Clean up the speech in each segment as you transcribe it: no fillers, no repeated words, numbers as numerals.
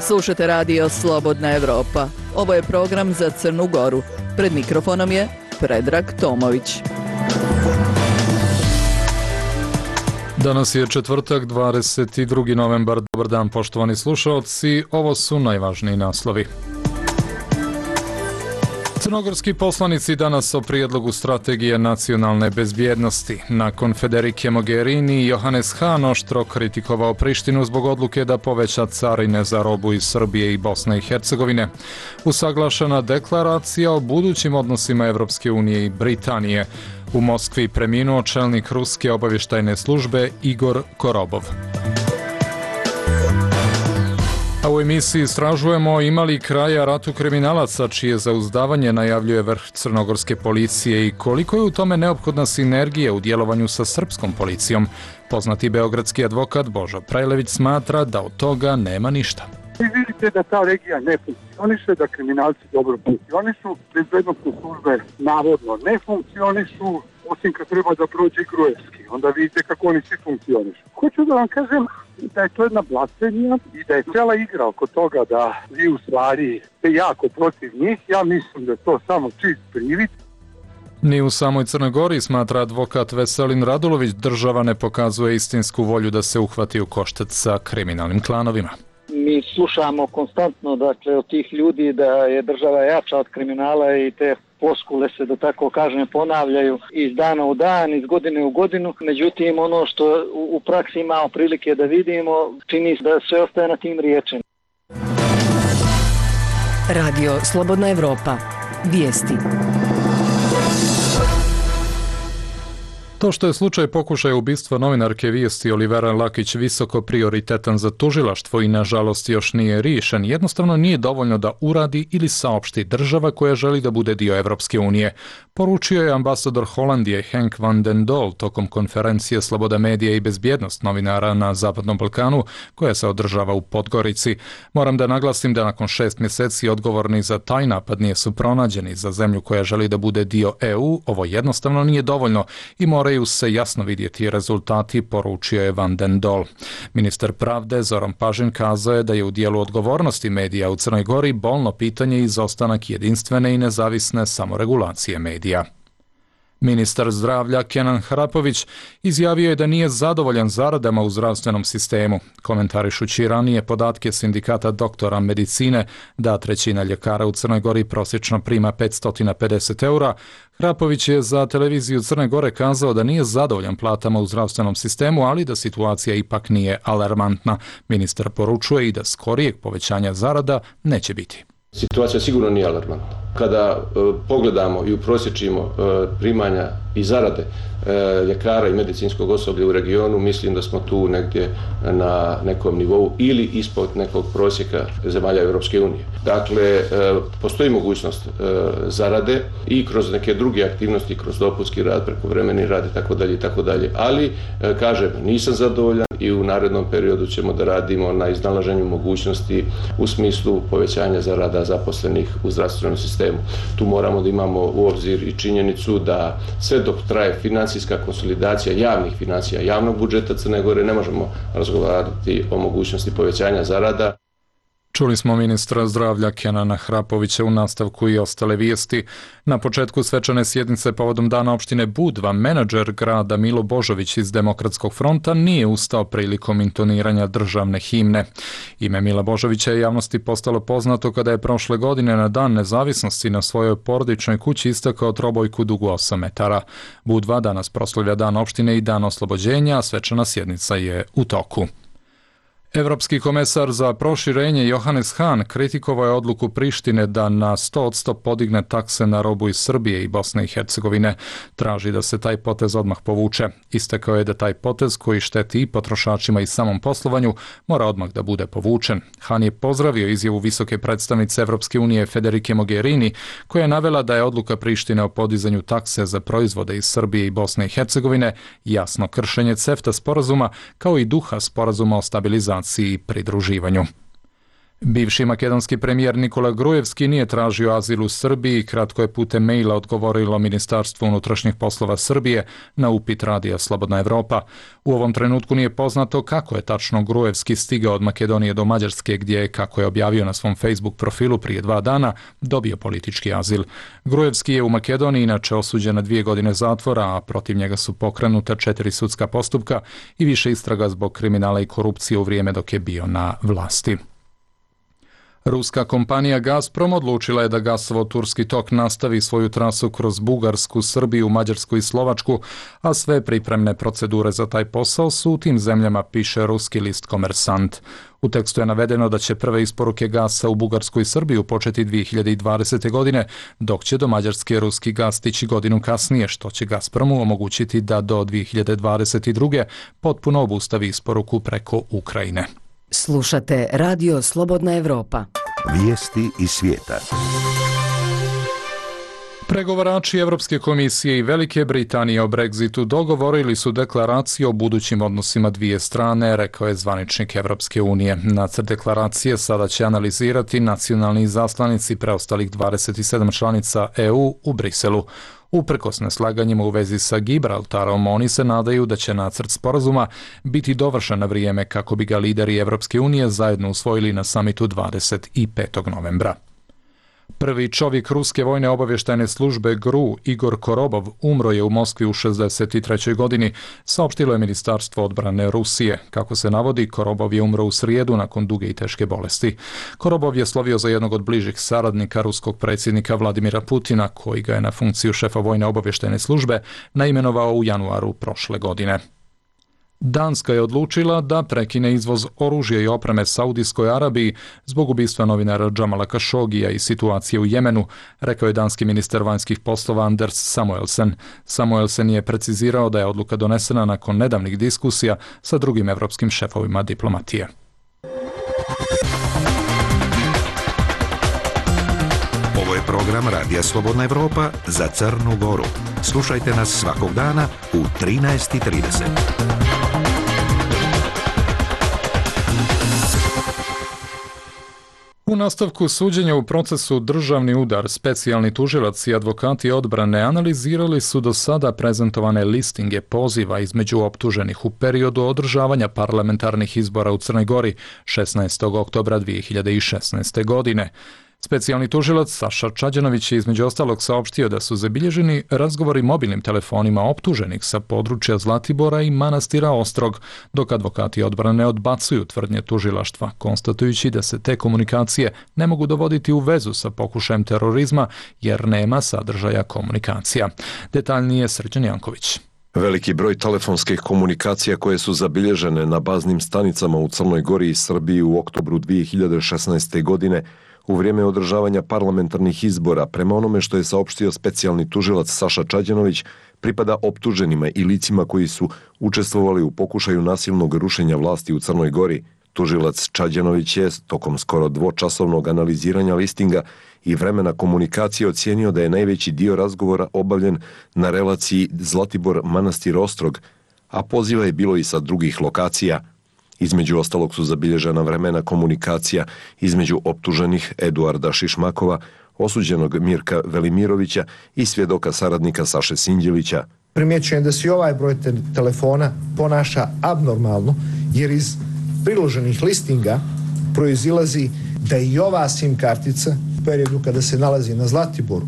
Slušate radio Slobodna Evropa. Ovo je program za Crnu Goru. Pred mikrofonom je Predrag Tomović. Danas je četvrtak, 22. novembar. Dobar dan, poštovani slušaoci. Ovo su najvažniji naslovi. Crnogorski poslanici danas o prijedlogu strategije nacionalne bezbjednosti. Nakon Federike Mogherini, Johannes Hahn oštro kritikovao Prištinu zbog odluke da poveća carine za robu iz Srbije i Bosne i Hercegovine. Usaglašena deklaracija o budućim odnosima Evropske unije i Britanije. U Moskvi preminuo čelnik ruske obavještajne službe Igor Korobov. A u emisiji istražujemo ima li kraja ratu kriminalaca čije zauzdavanje najavljuje vrh crnogorske policije i koliko je u tome neophodna sinergija u djelovanju sa srpskom policijom. Poznati beogradski advokat Božo Prajlević smatra da od toga nema ništa. Vi vidite da ta regija ne funkcioniše, da kriminalci dobro funkcionišu, bezbednostne službe navodno ne funkcionišu, osim kad treba da prođe Gruevski. Onda vidite kako oni svi funkcionišu. Hoću da vam kažem da je to jedna blasfemija i da je cijela igra oko toga da vi u stvari ste jako protiv njih. Ja mislim da je to samo čist privid. Ni u samoj Crnoj Gori, smatra advokat Veselin Radulović, država ne pokazuje istinsku volju da se uhvati u koštac sa kriminalnim klanovima. Mi slušamo konstantno, dakle, od tih ljudi da je država jača od kriminala i te floskule se, da tako kažem, ponavljaju iz dana u dan, iz godine u godinu. Međutim, ono što u praksi imamo prilike da vidimo, čini se da sve ostaje na tim riječima. Radio Slobodna Evropa. Vijesti. To što je slučaj pokušaja ubistva novinarke Vijesti Olivera Lakić visoko prioritetan za tužilaštvo i nažalost još nije riješen, jednostavno nije dovoljno da uradi ili saopšti država koja želi da bude dio Evropske unije, poručio je ambasador Holandije Henk van den Dol tokom konferencije Sloboda medija i bezbjednost novinara na Zapadnom Balkanu koja se održava u Podgorici. Moram da naglasim da nakon 6 mjeseci odgovorni za taj napad nisu pronađeni. Za zemlju koja želi da bude dio EU, ovo jednostavno nije dovoljno i moraju se jasno vidjeti rezultati, poručio je Van den Dol. Ministar pravde Zoran Pažin kazao je da je u dijelu odgovornosti medija u Crnoj Gori bolno pitanje izostanak jedinstvene i nezavisne samoregulacije medija. Ministar zdravlja Kenan Hrapović izjavio je da nije zadovoljan zaradama u zdravstvenom sistemu. Komentarišući ranije podatke sindikata doktora medicine da 1/3 ljekara u Crnoj Gori prosječno prima 550 eura, Hrapović je za televiziju Crne Gore kazao da nije zadovoljan platama u zdravstvenom sistemu, ali da situacija ipak nije alarmantna. Ministar poručuje i da skorijeg povećanja zarada neće biti. Situacija sigurno nije alarmantna. Kada pogledamo i uprosječimo primanja i zarade ljekara i medicinskog osoblja u regionu, mislim da smo tu negdje na nekom nivou ili ispod nekog prosjeka zemalja Europske unije. Dakle, postoji mogućnost zarade i kroz neke druge aktivnosti, kroz dopunski rad, prekovremeni rad itd., ali kažem, nisam zadovoljan i u narednom periodu ćemo da radimo na iznalaženju mogućnosti u smislu povećanja zarada zaposlenih u zdravstvenom sistemu. Tu moramo da imamo u obzir i činjenicu da sve dok traje financijska konsolidacija javnih financija, javnog budžeta Crne Gore, ne možemo razgovarati o mogućnosti povećanja zarada. Čuli smo ministra zdravlja Kenana Hrapovića u nastavku i ostale vijesti. Na početku svečane sjednice povodom dana opštine Budva, menadžer grada Milo Božović iz Demokratskog fronta nije ustao prilikom intoniranja državne himne. Ime Mila Božovića je javnosti postalo poznato kada je prošle godine na Dan nezavisnosti na svojoj porodičnoj kući istakao trobojku dugu 8 metara. Budva danas proslavlja dan opštine i dan oslobođenja, a svečana sjednica je u toku. Evropski komesar za proširenje Johannes Hahn kritikovao je odluku Prištine da na 100% podigne takse na robu iz Srbije i Bosne i Hercegovine. Traži da se taj potez odmah povuče. Istakao je da taj potez koji šteti i potrošačima i samom poslovanju mora odmah da bude povučen. Hahn je pozdravio izjavu visoke predstavnice Evropske unije Federike Mogherini koja je navela da je odluka Prištine o podizanju takse za proizvode iz Srbije i Bosne i Hercegovine jasno kršenje CEFTA sporazuma kao i duha sporazuma o stabilizaciji i pridruživanju. Bivši makedonski premijer Nikola Grujevski nije tražio azil u Srbiji, kratko je putem maila odgovorilo Ministarstvo unutrašnjih poslova Srbije na upit Radija Slobodna Evropa. U ovom trenutku nije poznato kako je tačno Grujevski stigao od Makedonije do Mađarske, gdje je, kako je objavio na svom Facebook profilu prije 2 dana, dobio politički azil. Grujevski je u Makedoniji inače osuđen na 2 godine zatvora, a protiv njega su pokrenuta 4 sudska postupka i više istraga zbog kriminala i korupcije u vrijeme dok je bio na vlasti. Ruska kompanija Gazprom odlučila je da gasovod Turski tok nastavi svoju trasu kroz Bugarsku, Srbiju, Mađarsku i Slovačku, a sve pripremne procedure za taj posao su u tim zemljama, piše ruski list Komersant. U tekstu je navedeno da će prve isporuke gasa u Bugarsku i Srbiju početi 2020. godine, dok će do Mađarske ruski gas stići godinu kasnije, što će Gazpromu omogućiti da do 2022. potpuno obustavi isporuku preko Ukrajine. Slušate Radio Slobodna Evropa. Vijesti iz svijeta. Pregovarači Evropske komisije i Velike Britanije o Brexitu dogovorili su deklaraciju o budućim odnosima dvije strane, rekao je zvaničnik Evropske unije. Nacrt deklaracije sada će analizirati nacionalni izaslanici preostalih 27 članica EU u Briselu. Uprkos neslaganjima u vezi sa Gibraltarom, oni se nadaju da će nacrt sporazuma biti dovršen na vrijeme kako bi ga lideri Evropske unije zajedno usvojili na samitu 25. novembra. Prvi čovjek ruske vojne obavještajne službe GRU, Igor Korobov, umro je u Moskvi u 63. godini, saopštilo je Ministarstvo odbrane Rusije. Kako se navodi, Korobov je umro u srijedu nakon duge i teške bolesti. Korobov je slovio za jednog od bližih saradnika ruskog predsjednika Vladimira Putina, koji ga je na funkciju šefa vojne obavještajne službe naimenovao u januaru prošle godine. Danska je odlučila da prekine izvoz oružja i opreme Saudijskoj Arabiji zbog ubistva novinara Jamala Khashogija i situacije u Jemenu, rekao je danski ministar vanjskih poslova Anders Samuelsen. Samuelsen je precizirao da je odluka donesena nakon nedavnih diskusija sa drugim evropskim šefovima diplomatije. Ovo je program Radija Slobodna Evropa za Crnu Goru. Slušajte nas svakog dana u 13:30. U nastavku suđenja u procesu Državni udar, specijalni tužilac i advokati odbrane analizirali su do sada prezentovane listinge poziva između optuženih u periodu održavanja parlamentarnih izbora u Crnoj Gori 16. oktobra 2016. godine. Specijalni tužilac Saša Čađanović je između ostalog saopštio da su zabilježeni razgovori mobilnim telefonima optuženih sa područja Zlatibora i manastira Ostrog, dok advokati odbrane odbacuju tvrdnje tužilaštva, konstatujući da se te komunikacije ne mogu dovoditi u vezu sa pokušajem terorizma jer nema sadržaja komunikacija. Detaljnije Srđan Janković. Veliki broj telefonskih komunikacija koje su zabilježene na baznim stanicama u Crnoj Gori i Srbiji u oktobru 2016. godine u vrijeme održavanja parlamentarnih izbora, prema onome što je saopštio specijalni tužilac Saša Čađanović, pripada optuženima i licima koji su učestvovali u pokušaju nasilnog rušenja vlasti u Crnoj Gori. Tužilac Čađanović je tokom skoro dvočasovnog analiziranja listinga i vremena komunikacije ocijenio da je najveći dio razgovora obavljen na relaciji Zlatibor-Manastir Ostrog, a poziva je bilo i sa drugih lokacija. Između ostalog su zabilježena vremena komunikacija između optuženih Eduarda Šišmakova, osuđenog Mirka Velimirovića i svjedoka saradnika Saše Sinđelića. Primjećujem da se i ovaj broj telefona ponaša abnormalno, jer iz priloženih listinga proizilazi da i ova SIM kartica u periodu kada se nalazi na Zlatiboru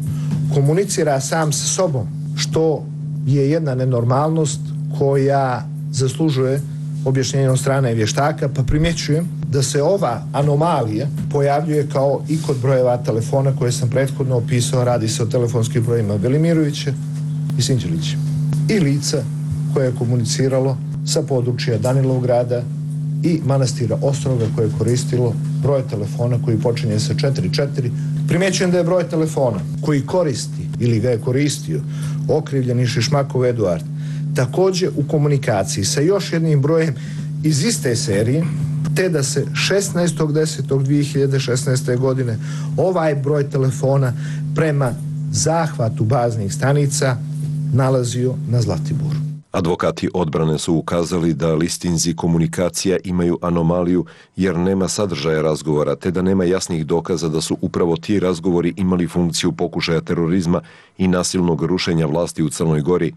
komunicira sam sa sobom, što je jedna nenormalnost koja zaslužuje objašnjenje od strane vještaka, pa primjećujem da se ova anomalija pojavljuje kao i kod brojeva telefona koje sam prethodno opisao. Radi se o telefonskim brojima Velimirovića i Sinđelića i lica koje je komuniciralo sa područja Danilovgrada i manastira Ostroga koje je koristilo broj telefona koji počinje sa 44. Primjećujem da je broj telefona koji koristi ili ga je koristio okrivljeni Šišmakov Eduard također u komunikaciji sa još jednim brojem iz iste serije, te da se 16.10.2016. godine ovaj broj telefona prema zahvatu baznih stanica nalazio na Zlatiboru. Advokati odbrane su ukazali da listinzi komunikacija imaju anomaliju jer nema sadržaja razgovora, te da nema jasnih dokaza da su upravo ti razgovori imali funkciju pokušaja terorizma i nasilnog rušenja vlasti u Crnoj Gori.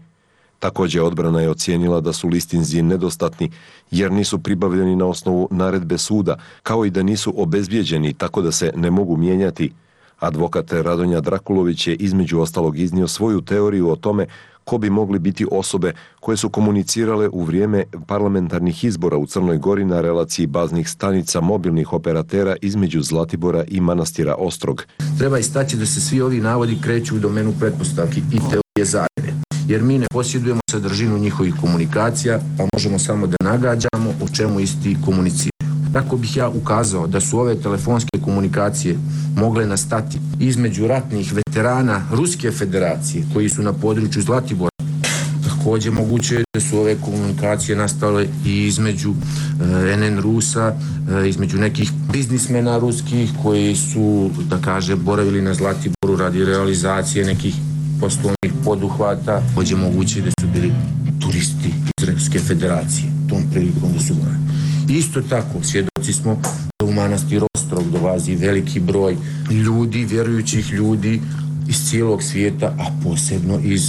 Također odbrana je ocijenila da su listinzi nedostatni jer nisu pribavljeni na osnovu naredbe suda, kao i da nisu obezbijeđeni tako da se ne mogu mijenjati. Advokat Radonja Drakulović je između ostalog iznio svoju teoriju o tome ko bi mogli biti osobe koje su komunicirale u vrijeme parlamentarnih izbora u Crnoj Gori na relaciji baznih stanica mobilnih operatera između Zlatibora i manastira Ostrog. Treba istaći da se svi ovi navodi kreću u domenu pretpostavki i teorije zavjere, jer mi ne posjedujemo sadržinu njihovih komunikacija, pa možemo samo da nagađamo o čemu isti komuniciraju. Tako bih ja ukazao da su ove telefonske komunikacije mogle nastati između ratnih veterana Ruske federacije koji su na području Zlatibora. Također moguće je da su ove komunikacije nastale i između NN Rusa, između nekih biznismena ruskih koji su, da kaže, boravili na Zlatiboru radi realizacije nekih poslovnih poduhvata. Također moguće je da su bili turisti iz Ruske federacije tom prilikom da su boravili. Isto tako, svjedoci smo da u manastir Ostrog dolazi veliki broj ljudi, vjerujućih ljudi iz cijelog svijeta, a posebno iz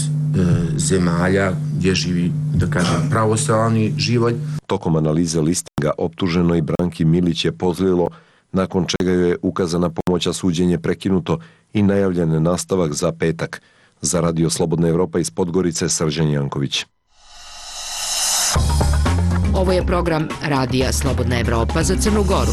zemalja gdje živi, da kažem, pravoslavni život. Tokom analize listinga optuženoj Branki Milić je pozlilo, nakon čega joj je ukazana pomoć, a suđenje prekinuto i najavljen nastavak za petak. Za Radio Slobodna Evropa iz Podgorice, Srđan Janković. Ovo je program Radija Slobodna Evropa za Crnu Goru.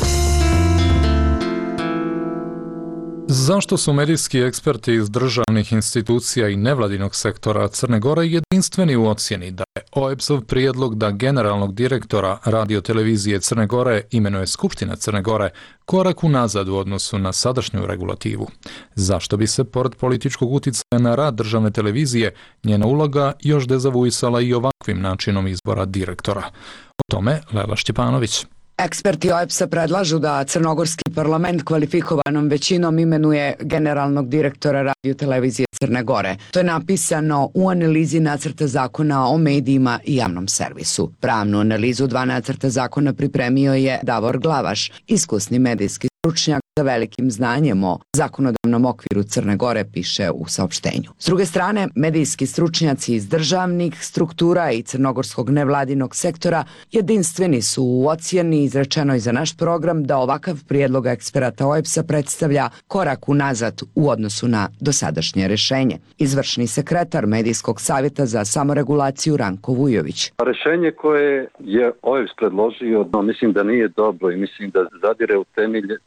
Zašto su medijski eksperti iz državnih institucija i nevladinog sektora Crne Gore jedinstveni u ocjeni da je OEBS-ov prijedlog da generalnog direktora radiotelevizije Crne Gore imenuje Skupština Crne Gore korak unazad u odnosu na sadašnju regulativu? Zašto bi se, pored političkog utjecaja na rad državne televizije, njena uloga još dezavuisala i ovakvim načinom izbora direktora? O tome Lela Šćepanović. Eksperti OEBS-a predlažu da crnogorski parlament kvalifikovanom većinom imenuje generalnog direktora radiotelevizije Crne Gore. To je napisano u analizi nacrta zakona o medijima i javnom servisu. Pravnu analizu dva nacrta zakona pripremio je Davor Glavaš, iskusni medijski stručnjak sa velikim znanjem o zakonodavnom okviru Crne Gore, piše u saopštenju. S druge strane, medijski stručnjaci iz državnih struktura i crnogorskog nevladinog sektora jedinstveni su u ocjeni izrečenoj za naš program da ovakav prijedlog eksperata OEBS-a predstavlja korak unazad u odnosu na dosadašnje rešenje. Izvršni sekretar Medijskog savjeta za samoregulaciju Ranko Vujović. Rešenje koje je OEBS predložio, mislim da nije dobro i mislim da zadire u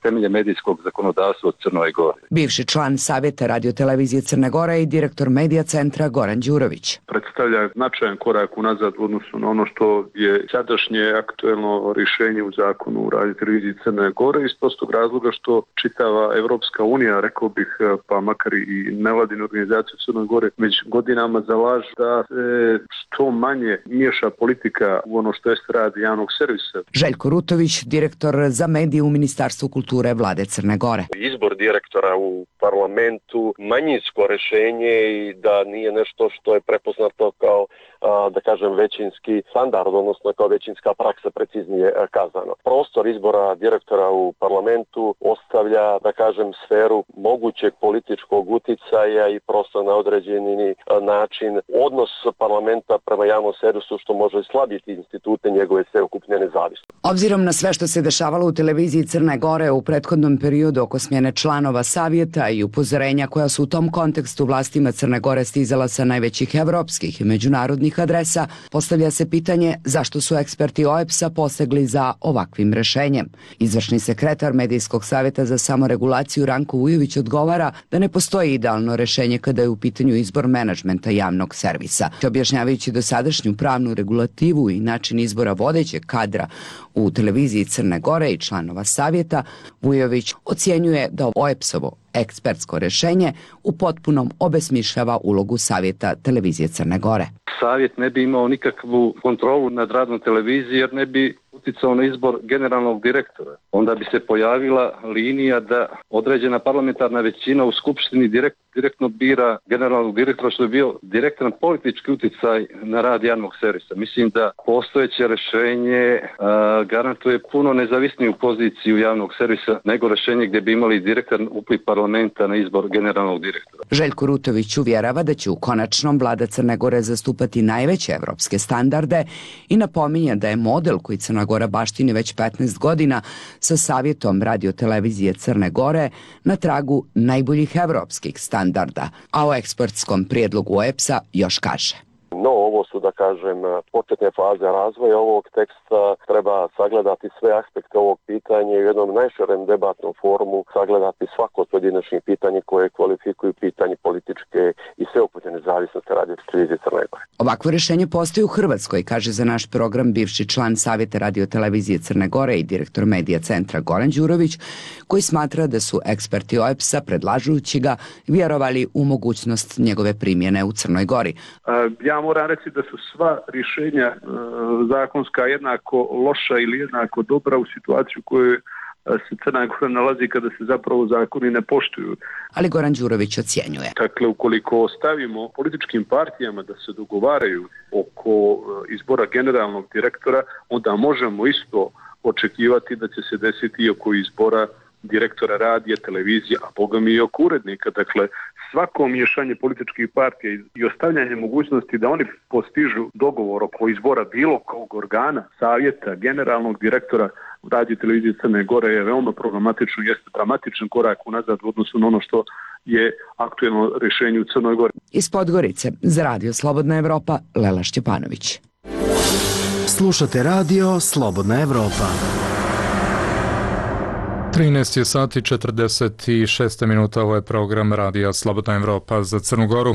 temelje medijskog zakonodavstva u Crnoj Gori. Bivši član Savjeta radiotelevizije Crne Gore i direktor medija centra Goran Đurović. Predstavlja značajan korak unazad u odnosu na ono što je sadašnje aktuelno rješenje u zakonu o radioteleviziji Crne Gore iz prostog razloga što čitava Evropska unija, rekao bih, pa makar i nevladine organizacije u Crnoj Gore, već godinama zalažu da se što manje miješa politika u ono što jest rad javnog servisa. Željko Rutović, direktor za medije u Ministarstvu kulture Vlade Crne Gore. Izbor direktora u parlamentu manjinsko rješenje i da nije nešto što je prepoznato kao, da kažem, većinski standard, odnosno kao većinska praksa, preciznije kazano. Prostor izbora direktora u parlamentu ostavlja, da kažem, sferu mogućeg političkog uticaja i prosto na određeni način odnos parlamenta prema javnom servisu što može slabiti institute njegove sveukupne nezavisnosti. Obzirom na sve što se dešavalo u televiziji Crne Gore u prethodnom periodu oko smjene članova savjeta i upozorenja koja su u tom kontekstu vlastima Crne Gore stizala sa najvećih evropskih i međunarodnih adresa, postavlja se pitanje zašto su eksperti OEBS-a posegli za ovakvim rešenjem. Izvršni sekretar Medijskog savjeta za samoregulaciju Ranko Vujović odgovara da ne postoji idealno rešenje kada je u pitanju izbor menadžmenta javnog servisa. Objašnjavajući dosadašnju pravnu regulativu i način izbora vodećeg kadra u televiziji Crne Gore i članova savjeta, Vujović ocjenjuje da OEBS-ovo ekspertsko rešenje u potpunom obesmišljava ulogu savjeta televizije Crne Gore. Savjet ne bi imao nikakvu kontrolu nad radom televizije jer ne bi uticao na izbor generalnog direktora. Onda bi se pojavila linija da određena parlamentarna većina u Skupštini direktno bira generalnog direktora, što je bio direktan politički uticaj na rad javnog servisa. Mislim da postojeće rješenje garantuje puno nezavisniju poziciju javnog servisa nego rješenje gdje bi imali direktan upliv parlamenta na izbor generalnog direktora. Željko Rutović uvjerava da će u konačnom vlada Crne Gore zastupati najveće evropske standarde i napominje da je model koji Crna Gora baštini već 15 godina sa savjetom radiotelevizije Crne Gore na tragu najboljih evropskih standarda, a o ekspertskom prijedlogu OEBS-a još kaže. No, ovo su, da kažem, početne faze razvoja ovog teksta. Treba sagledati sve aspekte ovog pitanja i u jednom najširem debatnom forumu sagledati svako od pojedinačnih pitanja koje kvalifikuju pitanje političke i sveukupne nezavisnosti radiotelevizije Crne Gore. Ovakvo rješenje postoji u Hrvatskoj, kaže za naš program bivši član Savjeta radiotelevizije Crne Gore i direktor medija centra Goran Đurović, koji smatra da su eksperti OEBS-a, predlažući ga, vjerovali u mogućnost njegove primjene u Crnoj Gori. Ja moram reći da su sva rješenja zakonska jednako loša ili jednako dobra u situaciju u kojoj se Crna Gora nalazi kada se zapravo zakoni ne poštuju. Ali Goran Đurović ocjenjuje. Dakle, ukoliko ostavimo političkim partijama da se dogovaraju oko izbora generalnog direktora, onda možemo isto očekivati da će se desiti i oko izbora direktora radija, televizije, a boga mi i oko urednika. Dakle, svako miješanje političkih partija i ostavljanje mogućnosti da oni postižu dogovor oko izbora bilo kog organa, savjeta, generalnog direktora radija televizije Crne Gore je veoma problematično, jeste dramatičan korak unazad u odnosu na ono što je aktuelno rješenje u Crnoj Gori. Iz Podgorice za Radio Slobodna Evropa, Lela Šćepanović. Slušate Radio Slobodna Evropa. 13 je sati 46 minuta, ovo je program Radija Slobodna Evropa za Crnu Goru.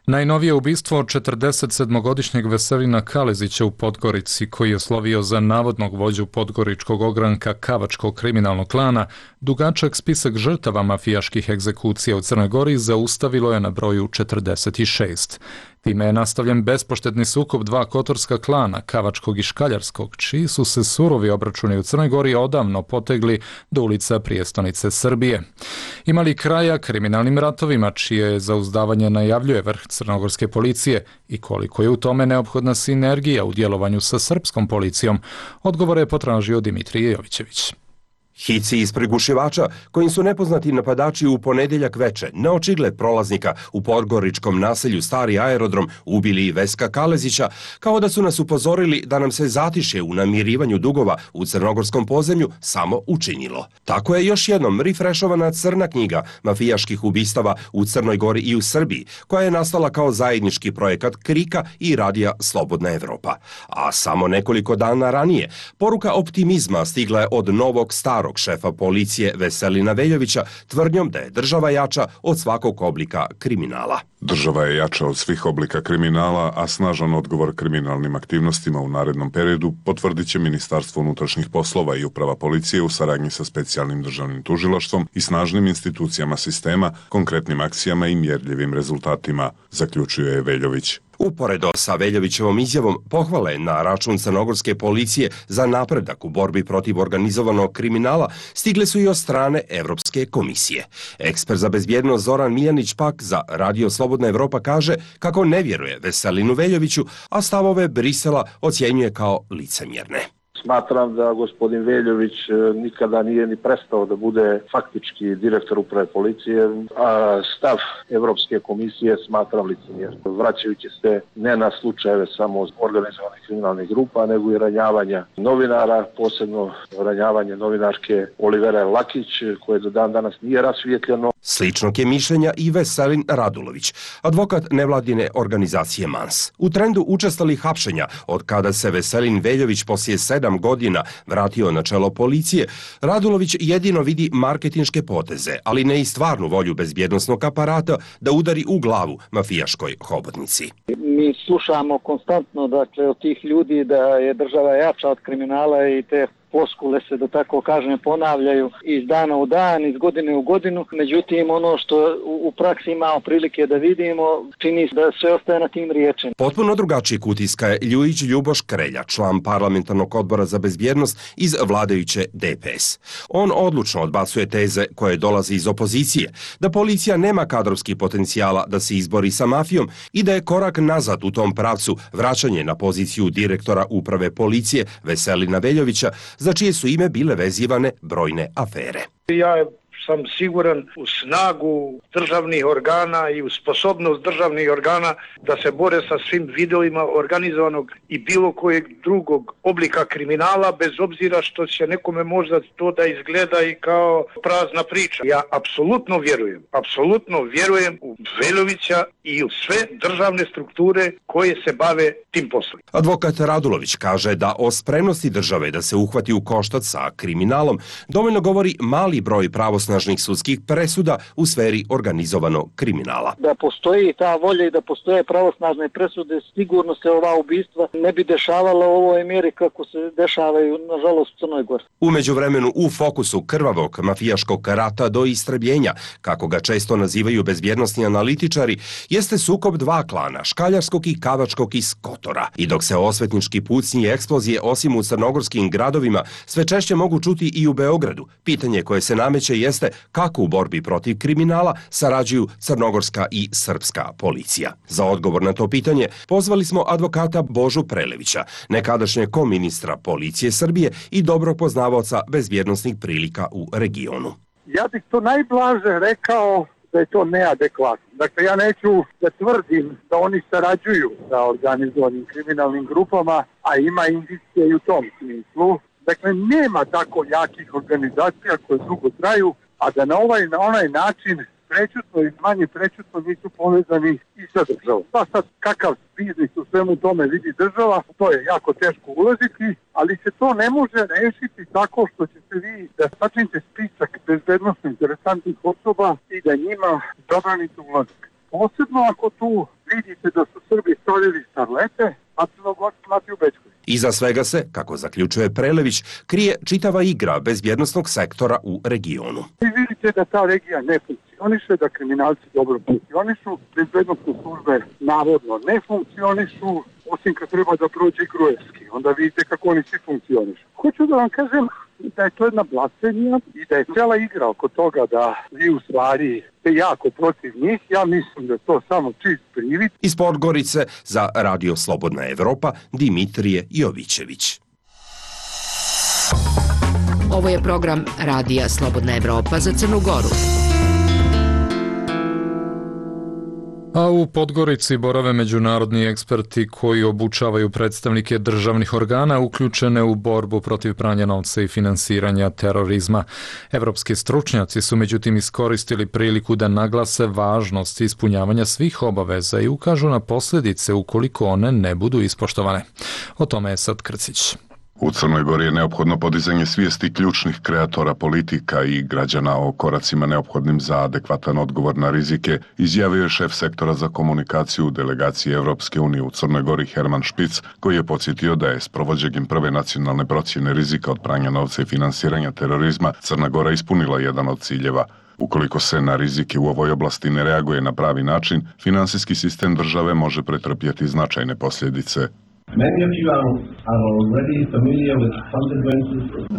Najnovije ubistvo od 47-godišnjeg Veselina Kalezića u Podgorici, koji je slovio za navodnog vođu podgoričkog ogranka Kavačkog kriminalnog klana, dugačak spisak žrtava mafijaških egzekucija u Crnoj Gori zaustavilo je na broju 46. Time je nastavljen bespoštetni sukob dva kotorska klana, Kavačkog i Škaljarskog, čiji su se surovi obračuni u Crnoj Gori odavno potegli do ulica prijestonice Srbije. Ima li kraja kriminalnim ratovima, čije zauzdavanje najavljuje vrh crnogorske policije i koliko je u tome neophodna sinergija u djelovanju sa srpskom policijom? Odgovore je potražio Dimitrije Jovićević. Hici iz prigušivača, kojim su nepoznati napadači u ponedjeljak veče na očigled prolaznika u podgoričkom naselju Stari aerodrom ubili Veska Kalezića, kao da su nas upozorili da nam se zatišje u namirivanju dugova u crnogorskom podzemlju samo učinilo. Tako je još jednom rifrešovana crna knjiga mafijaških ubistava u Crnoj Gori i u Srbiji, koja je nastala kao zajednički projekat Krika i Radija Slobodna Evropa. A samo nekoliko dana ranije, poruka optimizma stigla je od novog starog šefa policije Veselina Veljovića tvrdnjom da je država jača od svakog oblika kriminala. Država je jača od svih oblika kriminala, a snažan odgovor kriminalnim aktivnostima u narednom periodu potvrdit će Ministarstvo unutrašnjih poslova i Uprava policije u saradnji sa specijalnim državnim tužilaštvom i snažnim institucijama sistema, konkretnim akcijama i mjerljivim rezultatima, zaključuje Veljović. Uporedo sa Veljovićevom izjavom pohvale na račun crnogorske policije za napredak u borbi protiv organizovanog kriminala stigle su i od strane Evropske komisije. Ekspert za bezbjednost Zoran Miljanić pak za Radio Slobodna Evropa kaže kako ne vjeruje Veselinu Veljoviću, a stavove Brisela ocjenjuje kao licemjerne. Smatram da gospodin Veljović nikada nije ni prestao da bude faktički direktor uprave policije, a stav Evropske komisije smatram licemjernim. Vraćajući se ne na slučajeve samo organizovanih kriminalnih grupa, nego i ranjavanja novinara, posebno ranjavanje novinarke Olivere Lakić, koje do dan danas nije rasvijetljeno. Sličnog je mišljenja i Veselin Radulović, advokat nevladine organizacije MANS. U trendu učestalih hapšenja, od kada se Veselin Veljović poslije 7 godina vratio na čelo policije, Radulović jedino vidi marketinške poteze, ali ne i stvarnu volju bezbjednosnog aparata da udari u glavu mafijaškoj hobotnici. Mi slušamo konstantno, dakle, od tih ljudi da je država jača od kriminala i te floskule se, da tako kažem, ponavljaju iz dana u dan, iz godine u godinu. Međutim, ono što u praksi imamo prilike da vidimo, čini se da sve ostaje na tim riječima. Potpuno drugačijeg utiska je Ljujić Ljuboš Krelja, član parlamentarnog odbora za bezbjednost iz vladajuće DPS. On odlučno odbacuje teze koje dolaze iz opozicije, da policija nema kadrovski potencijala da se izbori sa mafijom i da je korak nazad u tom pravcu vraćanje na poziciju direktora uprave policije Veselina Veljovića, za čije su ime bile vezivane brojne afere. Ja sam siguran u snagu državnih organa i u sposobnost državnih organa da se bore sa svim vidovima organizovanog i bilo kojeg drugog oblika kriminala, bez obzira što će nekome možda to da izgleda i kao prazna priča. Ja apsolutno vjerujem u Veljovića i u sve državne strukture koje se bave tim poslom. Advokat Radulović kaže da o spremnosti države da se uhvati u koštac sa kriminalom dovoljno govori mali broj pravosnažnih sudskih presuda u sferi organizovanog kriminala. Da postoji ta volja i da postoje pravosnažne presude, sigurno se ova ubistva ne bi dešavala u ovoj mjeri kako se dešavaju, nažalost, u Crnoj Gori. U međuvremenu u fokusu krvavog mafijaškog rata do istrebljenja, kako ga često nazivaju bezbjednosni analitičari, jeste sukob dva klana, škaljarskog i kavačkog iz Kotora. I dok se osvetnički pucnji i eksplozije osim u crnogorskim gradovima sve češće mogu čuti i u Beogradu, pitanje koje se nameće jeste kako u borbi protiv kriminala sarađuju crnogorska i srpska policija. Za odgovor na to pitanje pozvali smo advokata Božu Prelevića, nekadašnjeg koministra policije Srbije i dobrog poznavaoca bezbjednosnih prilika u regionu. Ja bih to najblaže rekao da je to neadekvatno. Dakle, ja neću da tvrdim da oni sarađuju sa organizovanim kriminalnim grupama, a ima indicije i u tom smislu. Dakle, nema tako jakih organizacija koje dugo traju, a da na onaj način prečutno i manje prečutno nisu povezani i sa državom. Pa sad, kakav biznis u svemu tome vidi država, to je jako teško ulaziti, ali se to ne može rešiti tako što ćete vi da sačinite spisak bezbednostno interesantnih osoba i da njima zabranite ulazak. Posebno ako tu vidite da su Srbi stavljali starlete, a Crnogorci mati u Bečkoj. Iza svega se, kako zaključuje Prelević, krije čitava igra bezbjednosnog sektora u regionu. Vi vidite da ta regija ne funkcioniše, da kriminalci dobro funkcionišu, bezbednostne službe navodno ne funkcionišu, osim kad treba da prođe Gruevski. Onda vidite kako oni svi funkcionišu. Hoću da vam kažem da je to jedna blasfemija i da je cijela igra oko toga da vi u stvari ste jako protiv njih. Ja mislim da je to samo čist privid. Iz Podgorice za Radio Slobodna Evropa Dimitrije Jovićević. Ovo je program Radija Slobodna Evropa za Crnu Goru. A u Podgorici borave međunarodni eksperti koji obučavaju predstavnike državnih organa uključene u borbu protiv pranja novca i finansiranja terorizma. Evropski stručnjaci su međutim iskoristili priliku da naglase važnost ispunjavanja svih obaveza i ukažu na posljedice ukoliko one ne budu ispoštovane. O tome je Sad Krcić. U Crnoj Gori je neophodno podizanje svijesti ključnih kreatora politika i građana o koracima neophodnim za adekvatan odgovor na rizike, izjavio je šef sektora za komunikaciju u delegaciji Evropske unije u Crnoj Gori Herman Špic, koji je podsjetio da je s provođenjem prve nacionalne procjene rizika od pranja novca i finansiranja terorizma Crna Gora ispunila jedan od ciljeva. Ukoliko se na rizike u ovoj oblasti ne reaguje na pravi način, finansijski sistem države može pretrpjeti značajne posljedice.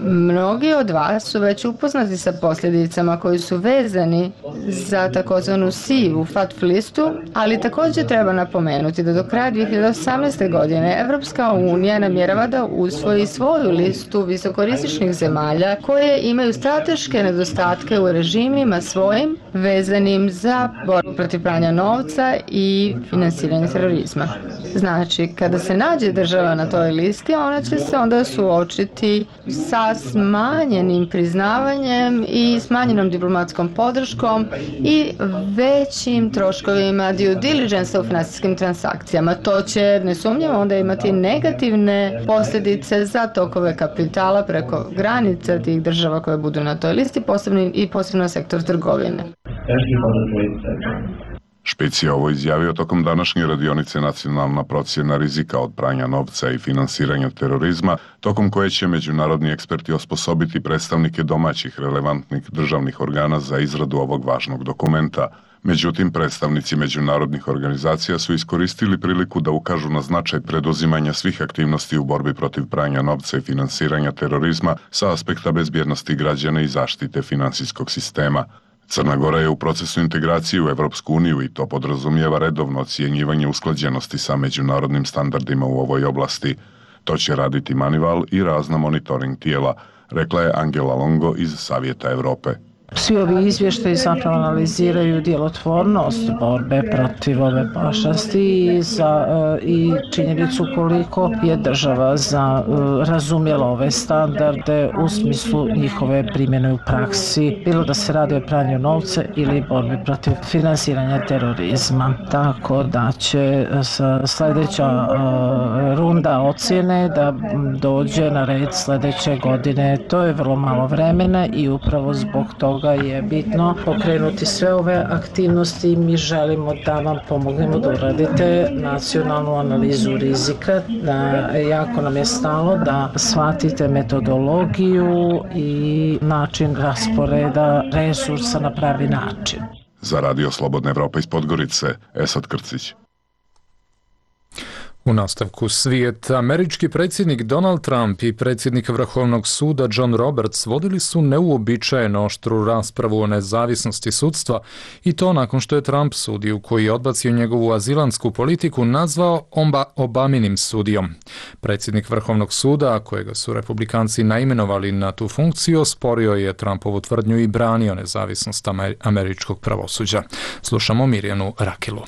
Mnogi od vas su već upoznati sa posljedicama koji su vezani za takozvanu sivu FATF listu, ali također treba napomenuti da do kraja 2018. godine Evropska unija namjerava da usvoji svoju listu visokorizičnih zemalja koje imaju strateške nedostatke u režimima svojim vezanim za borbu protiv pranja novca i finansiranje terorizma. Znači, kada se nađe država na toj listi, ona će se onda suočiti sa smanjenim priznavanjem i smanjenom diplomatskom podrškom i većim troškovima due diligence u financijskim transakcijama. To će nesumnjivo onda imati negativne posljedice za tokove kapitala preko granica tih država koje budu na toj listi, posebno sektor trgovine. Špic je ovo izjavio tokom današnje radionice Nacionalna procjena rizika od pranja novca i finansiranja terorizma, tokom koje će međunarodni eksperti osposobiti predstavnike domaćih relevantnih državnih organa za izradu ovog važnog dokumenta. Međutim, predstavnici međunarodnih organizacija su iskoristili priliku da ukažu na značaj preduzimanja svih aktivnosti u borbi protiv pranja novca i finansiranja terorizma sa aspekta bezbjednosti građana i zaštite finansijskog sistema. Crna Gora je u procesu integracije u Evropsku uniju i to podrazumijeva redovno ocjenjivanje usklađenosti sa međunarodnim standardima u ovoj oblasti. To će raditi Manival i razna monitoring tijela, rekla je Angela Longo iz Savjeta Europe. Svi ovi izvještaji zapravo analiziraju djelotvornost borbe protiv ove pošasti i činjenicu koliko je država razumjela ove standarde u smislu njihove primjene u praksi, bilo da se radi o pranju novca ili borbi protiv finansiranja terorizma. Tako da će sljedeća runda ocjene da dođe na red sljedeće godine. To je vrlo malo vremena i upravo zbog toga je bitno pokrenuti sve ove aktivnosti. Mi želimo da vam pomognemo da uradite nacionalnu analizu rizika, da jako nam je stalo da shvatite metodologiju i način rasporeda resursa na pravi način. Za Radio Slobodna Evropa iz Podgorice, Esad Krcić. U nastavku svijeta, američki predsjednik Donald Trump i predsjednik Vrhovnog suda John Roberts vodili su neuobičajeno oštru raspravu o nezavisnosti sudstva i to nakon što je Trump sudiju koji je odbacio njegovu azilantsku politiku nazvao Obaminim sudijom. Predsjednik Vrhovnog suda, kojega su republikanci naimenovali na tu funkciju, osporio je Trumpovu tvrdnju i branio nezavisnost američkog pravosuđa. Slušamo Mirjanu Rakilu.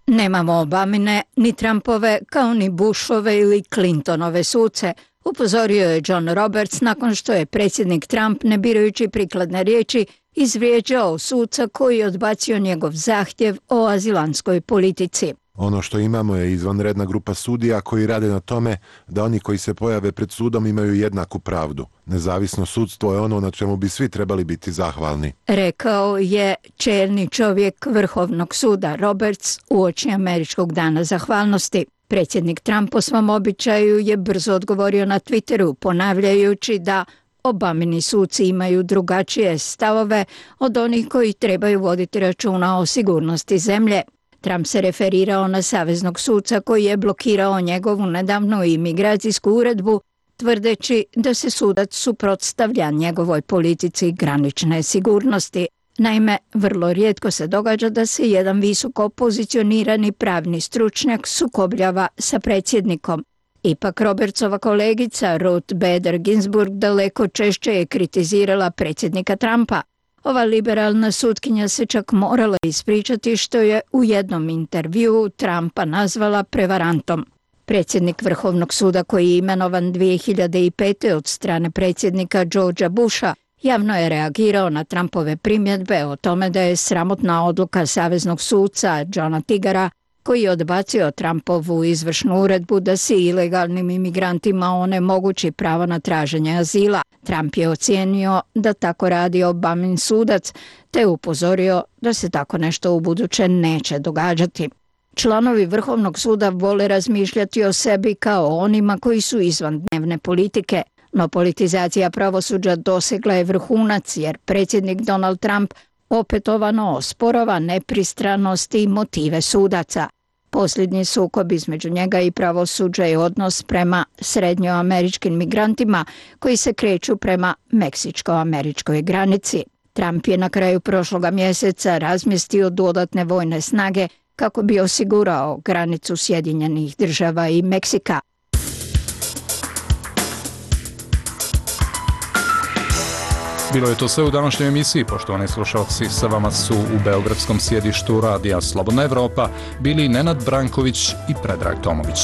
Nemamo Obamine, ni Trumpove, kao ni Bushove ili Clintonove suce, upozorio je John Roberts nakon što je predsjednik Trump, ne birajući prikladne riječi, izvrijeđao suca koji je odbacio njegov zahtjev o azilantskoj politici. Ono što imamo je izvanredna grupa sudija koji rade na tome da oni koji se pojave pred sudom imaju jednaku pravdu. Nezavisno sudstvo je ono na čemu bi svi trebali biti zahvalni. Rekao je čelni čovjek Vrhovnog suda Roberts uoči Američkog dana zahvalnosti. Predsjednik Trump po svom običaju je brzo odgovorio na Twitteru ponavljajući da Obamini suci imaju drugačije stavove od onih koji trebaju voditi računa o sigurnosti zemlje. Trump se referirao na saveznog suca koji je blokirao njegovu nedavnu imigracijsku uredbu, tvrdeći da se sudac suprotstavlja njegovoj politici granične sigurnosti. Naime, vrlo rijetko se događa da se jedan visoko pozicionirani pravni stručnjak sukobljava sa predsjednikom. Ipak Robertsova kolegica Ruth Bader Ginsburg daleko češće je kritizirala predsjednika Trumpa. Ova liberalna sutkinja se čak morala ispričati što je u jednom intervjuu Trumpa nazvala prevarantom. Predsjednik Vrhovnog suda koji je imenovan 2005. od strane predsjednika Georgea Busha javno je reagirao na Trumpove primjedbe o tome da je sramotna odluka saveznog suca Johna Tigara koji je odbacio Trumpovu izvršnu uredbu da se ilegalnim imigrantima onemogući pravo na traženje azila. Trump je ocijenio da tako radi Obamin sudac, te upozorio da se tako nešto u buduće neće događati. Članovi Vrhovnog suda vole razmišljati o sebi kao onima koji su izvan dnevne politike, no politizacija pravosuđa dosegla je vrhunac jer predsjednik Donald Trump opetovano osporava nepristranost i motive sudaca. Posljednji sukob između njega i pravosuđa je odnos prema srednjoameričkim migrantima koji se kreću prema meksičko-američkoj granici. Trump je na kraju prošloga mjeseca razmjestio dodatne vojne snage kako bi osigurao granicu Sjedinjenih Država i Meksika. Bilo je to sve u današnjoj emisiji, poštovani slušalci. Sa vama su u beogradskom sjedištu Radija Slobodna Evropa bili Nenad Branković i Predrag Tomović.